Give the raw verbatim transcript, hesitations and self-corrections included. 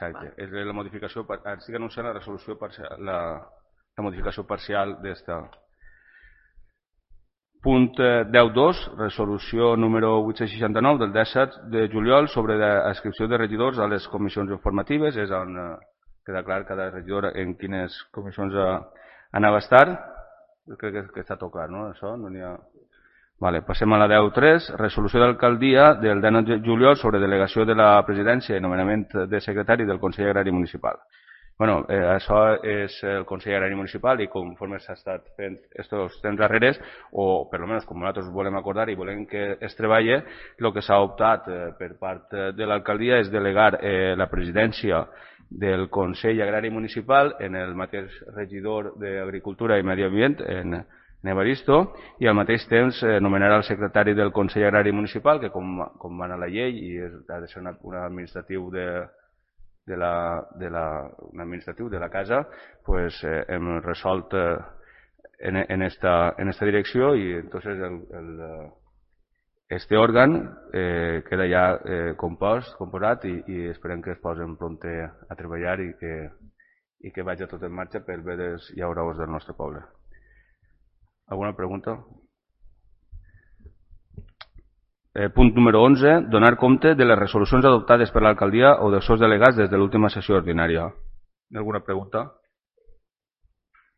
Exacte. És la modificació, estic anunciant la resolució parcial, la, la modificació parcial d'esta. Punt deu punit dos, resolució número vuit-cents seixanta-nou del disset de juliol sobre l'adscripció de regidors a les comissions informatives, és on queda clar cada regidor en quines comissions anava a estar. Crec que, que està tot clar, no? Això no n'hi ha... Vale, passem a la deu punt tres, resolució d'alcaldia del dinou de juliol sobre delegació de la presidència i nomenament de secretari del Consell Agrari Municipal. Bueno, eh, això és el Consell Agrari Municipal i conforme s'ha estat fent aquests temps darreres, o per almenys com nosaltres volem acordar i volem que es treballi, el que s'ha optat eh, per part de l'alcaldia és delegar eh, la presidència del Consell Agrari Municipal en el mateix regidor d'Agricultura i Medi Ambient, en, en Evaristo, i al mateix temps eh, nomenarà el secretari del Consell Agrari Municipal, que com, com va anar la llei i és, ha de ser una, un administratiu de... de la, de la, un administratiu de la casa, pues eh, hem resolt eh, en, en, esta, en esta direcció i entonces el, el, este òrgan eh, queda ja eh, compost, composat i, i esperem que es posen prompte a treballar i que, i que vagi tot en marxa pel bé dels llauraors del nostre poble. Alguna pregunta? Eh, punt número onze, donar compte de les resolucions adoptades per l'alcaldia o dels seus delegats des de l'última sessió ordinària. Alguna pregunta?